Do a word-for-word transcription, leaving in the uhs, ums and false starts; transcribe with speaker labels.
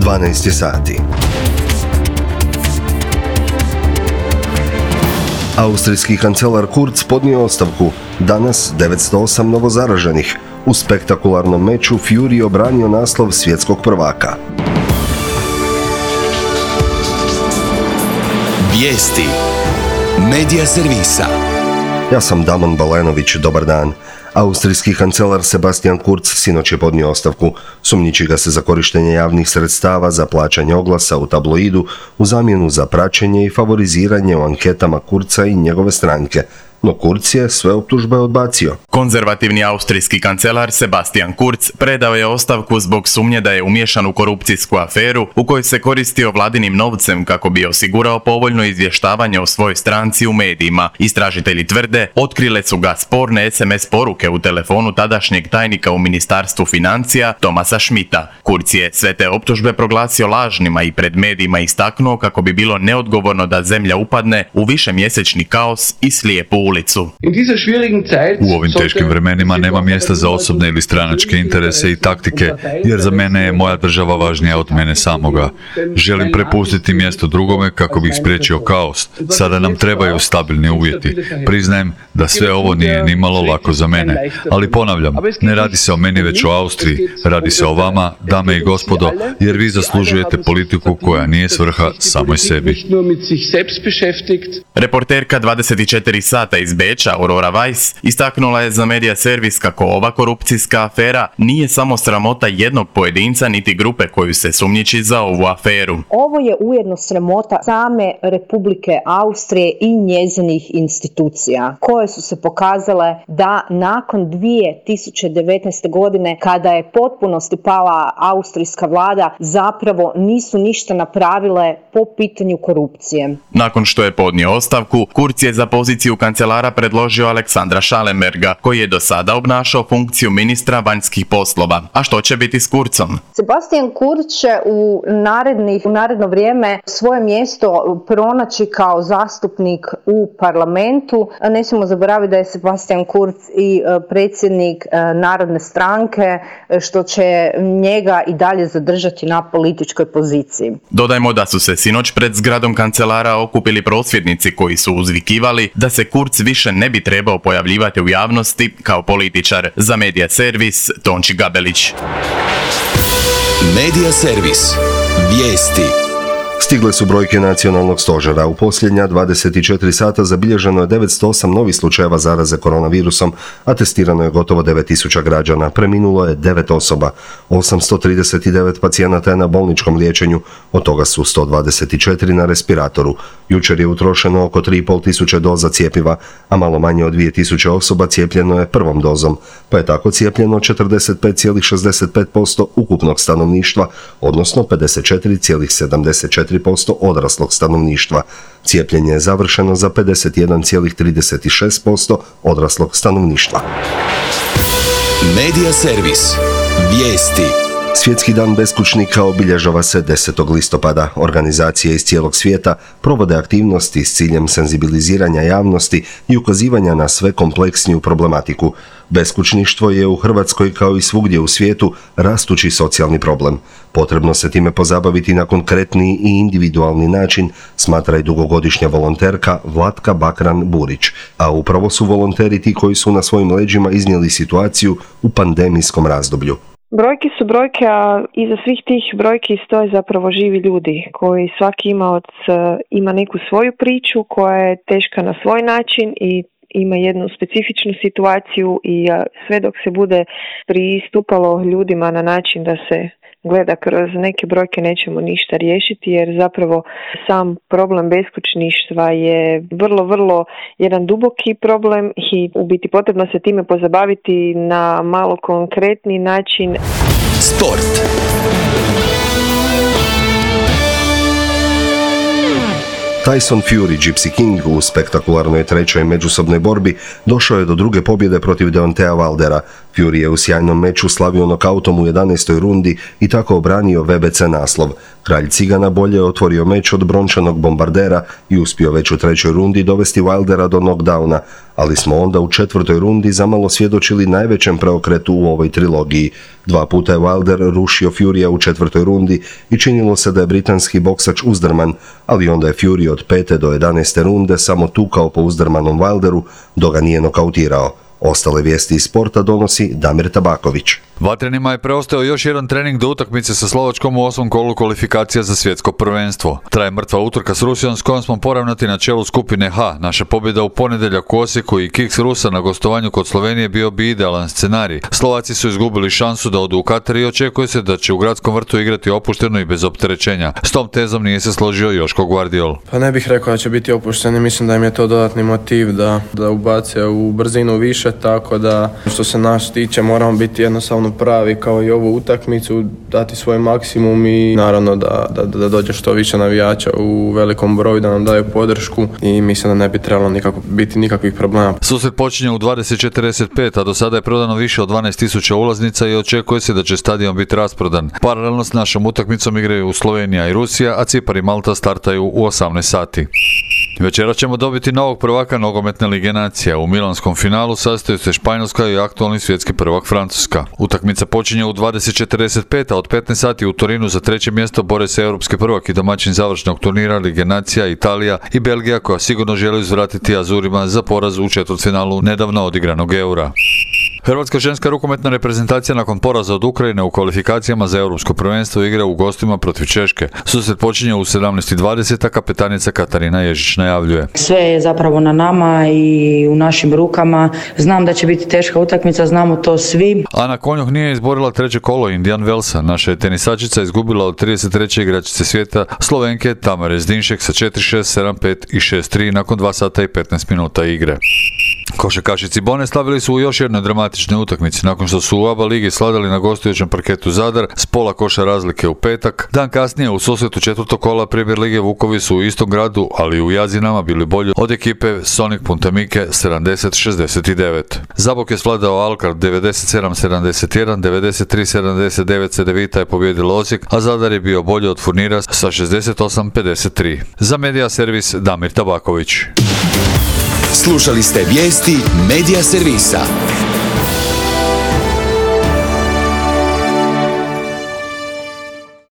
Speaker 1: dvanaest je sati. Austrijski kancelar Kurz podnio ostavku. Danas devetsto osam novozaraženih. U spektakularnom meču Fury obranio naslov svjetskog prvaka.
Speaker 2: Vijesti Medija servisa.
Speaker 1: Ja sam Damon Balenović, dobar dan. Austrijski kancelar Sebastian Kurz sinoć je podnio ostavku. Sumnjiči ga se za korištenje javnih sredstava za plaćanje oglasa u tabloidu u zamjenu za praćenje i favoriziranje u anketama Kurza i njegove stranke. No Kurz je sve optužbe odbacio.
Speaker 3: Konzervativni austrijski kancelar Sebastian Kurz predao je ostavku zbog sumnje da je umiješan u korupcijsku aferu u kojoj se koristio vladinim novcem kako bi osigurao povoljno izvještavanje o svojoj stranci u medijima. Istražitelji tvrde, otkrile su ga sporne es em es poruke u telefonu tadašnjeg tajnika u Ministarstvu financija Thomasa Schmidta. Kurz je sve te optužbe proglasio lažnima i pred medijima istaknuo kako bi bilo neodgovorno da zemlja upadne u višemjesečni kaos i slijepu ulicu.
Speaker 4: U ovim teškim vremenima nema mjesta za osobne ili stranačke interese i taktike, jer za mene je moja država važnija od mene samoga. Želim prepustiti mjesto drugome kako bih spriječio kaos. Sada nam trebaju stabilni uvjeti. Priznajem da sve ovo nije nimalo lako za mene, ali ponavljam, ne radi se o meni već o Austriji, radi se o vama, dame i gospodo, jer vi zaslužujete politiku koja nije svrha samoj sebi.
Speaker 3: Reporterka dvadeset četiri sata iz Beča, Aurora Weiss, istaknula je za medija servis kako ova korupcijska afera nije samo sramota jednog pojedinca niti grupe koju se sumnjiči za ovu aferu.
Speaker 5: Ovo je ujedno sramota same Republike Austrije i njezinih institucija, koje su se pokazale da nakon dvije tisuće devetnaeste. godine, kada je potpunosti pala austrijska vlada, zapravo nisu ništa napravile po pitanju korupcije.
Speaker 3: Nakon što je podnio ostavku, Kurz je za poziciju kancelara predložio Aleksandra Schallenberga, koji je do sada obnašao funkciju ministra vanjskih poslova. A što će biti s Kurzom?
Speaker 5: Sebastian Kurz će u, narednih, u naredno vrijeme svoje mjesto pronaći kao zastupnik u parlamentu. Ne smijemo zaboraviti da je Sebastian Kurz i predsjednik Narodne stranke, što će njega i dalje zadržati na političkoj poziciji.
Speaker 3: Dodajmo da su se sinoć pred zgradom kancelara okupili prosvjednici koji su uzvikivali da se Kurz više ne bi trebao pojavljivati u javnosti kao političar. Za Medija servis, Tonči Gabelić.
Speaker 2: Medija servis. Vijesti.
Speaker 1: Stigle su brojke nacionalnog stožera. U posljednja dvadeset četiri sata zabilježeno je devetsto osam novih slučajeva zaraze koronavirusom, a testirano je gotovo devet tisuća građana. Preminulo je devet osoba. osamsto trideset devet pacijenata je na bolničkom liječenju, od toga su sto dvadeset četiri na respiratoru. Jučer je utrošeno oko tri i pol tisuće doza cjepiva, a malo manje od dvije tisuće osoba cijepljeno je prvom dozom, pa je tako cijepljeno četrdeset pet zarez šezdeset pet posto ukupnog stanovništva, odnosno pedeset četiri zarez sedamdeset četiri posto odraslog stanovništva. Cijepljenje je završeno za pedeset jedan zarez trideset šest posto odraslog stanovništva.
Speaker 2: Medija servis. Vijesti.
Speaker 1: Svjetski dan beskućnika obilježava se desetog listopada. Organizacije iz cijelog svijeta provode aktivnosti s ciljem senzibiliziranja javnosti i ukazivanja na sve kompleksniju problematiku. Beskućništvo je u Hrvatskoj kao i svugdje u svijetu rastući socijalni problem. Potrebno se time pozabaviti na konkretni i individualni način, smatra i dugogodišnja volonterka Vlatka Bakran-Burić, a upravo su volonteri ti koji su na svojim leđima iznijeli situaciju u pandemijskom razdoblju.
Speaker 6: Brojke su brojke, a iza svih tih brojki stoje zapravo živi ljudi koji svaki imaoc ima neku svoju priču koja je teška na svoj način i ima jednu specifičnu situaciju i sve dok se bude pristupalo ljudima na način da se gleda kroz neke brojke nećemo ništa riješiti, jer zapravo sam problem beskućništva je vrlo, vrlo jedan duboki problem i u biti potrebno se time pozabaviti na malo konkretni način.
Speaker 2: Sport.
Speaker 1: Tyson Fury, Gypsy King, u spektakularnoj trećoj međusobnoj borbi došao je do druge pobjede protiv Deontea Wildera. Fury je u sjajnom meču slavio nokautom u jedanaestoj rundi i tako obranio V B C naslov. Kralj Cigana bolje je otvorio meč od brončanog bombardera i uspio već u trećoj rundi dovesti Wildera do knockdowna, ali smo onda u četvrtoj rundi zamalo svjedočili najvećem preokretu u ovoj trilogiji. Dva puta je Wilder rušio Furya u četvrtoj rundi i činilo se da je britanski boksač uzdrman, ali onda je Fury od pete do jedanaeste runde samo tukao po uzdrmanom Wilderu, dok ga nije nokautirao. Ostale vijesti iz sporta donosi Damir Tabaković.
Speaker 4: Vatrenima je preostao još jedan trening do utakmice sa Slovačkom u osmom kolu kvalifikacija za svjetsko prvenstvo. Traje mrtva utrka s Rusijom s kojom smo poravnati na čelu skupine H. Naša pobjeda u ponedjeljak u Osijeku i kiks Rusa na gostovanju kod Slovenije bio bi idealan scenarij. Slovaci su izgubili šansu da odu u Katar i očekuje se da će u gradskom vrtu igrati opušteno i bez opterećenja. S tom tezom nije se složio Joško Guardiol.
Speaker 7: Pa ne bih rekao da će biti opušteni, mislim da im je to dodatni motiv da, da ubace u brzinu više, tako da što se nas tiče moramo biti jednostavno pravi kao i ovu utakmicu, dati svoj maksimum i naravno da, da, da dođe što više navijača u velikom broju, da nam daju podršku i mislim da ne bi trebalo nikako, biti nikakvih problema.
Speaker 4: Susret počinje u dvadeset četrdeset pet, a do sada je prodano više od dvanaest tisuća ulaznica i očekuje se da će stadion biti rasprodan. Paralelno s našom utakmicom igraju Slovenija i Rusija, a Cipar i Malta startaju u osamnaest sati. Večera ćemo dobiti novog prvaka nogometne lige nacija. U milanskom finalu sastaju se Španjolska i aktualni svjetski prvak Francuska. Utakmica počinje u dvadeset četrdeset pet, a od petnaest sati u Torinu za treće mjesto bore se europski prvak i domaćin završnog turnira lige nacija Italija i Belgija, koja sigurno želi uzvratiti Azurima za poraz u četvrtfinalu nedavno odigranog Eura. Hrvatska ženska rukometna reprezentacija nakon poraza od Ukrajine u kvalifikacijama za europsko prvenstvo igra u gostima protiv Češke. Susret počinje u sedamnaest dvadeset, a kapetanica Katarina Ježić najavljuje.
Speaker 8: Sve je zapravo na nama i u našim rukama. Znam da će biti teška utakmica, znamo to svi.
Speaker 4: Ana Konjuh nije izborila treće kolo Indian Wellsa. Naša je tenisačica izgubila od trideset treće igračice svijeta Slovenke Tamare Zdinšek sa četiri šest, sedam pet i šest tri nakon dva sata i petnaest minuta igre. Košarkaši Cibone slavili su u još jednoj dramatičnoj utakmici nakon što su u A B A ligi sladali na gostujućem parketu Zadar s pola koša razlike u petak. Dan kasnije u susretu četvrtog kola Premier lige Vukovi su u istom gradu, ali u Jazinama bili bolji od ekipe Sonic Punta Mike sedamdeset šezdeset devet. Zabok je svladao Alkar devedeset sedam sedamdeset jedan, devedeset tri sedamdeset devet Cedevita je pobjedila Osijek, a Zadar je bio bolji od Furnira sa šezdeset osam pedeset tri. Za Medija servis Damir Tabaković.
Speaker 2: Slušali ste vijesti Medija servisa.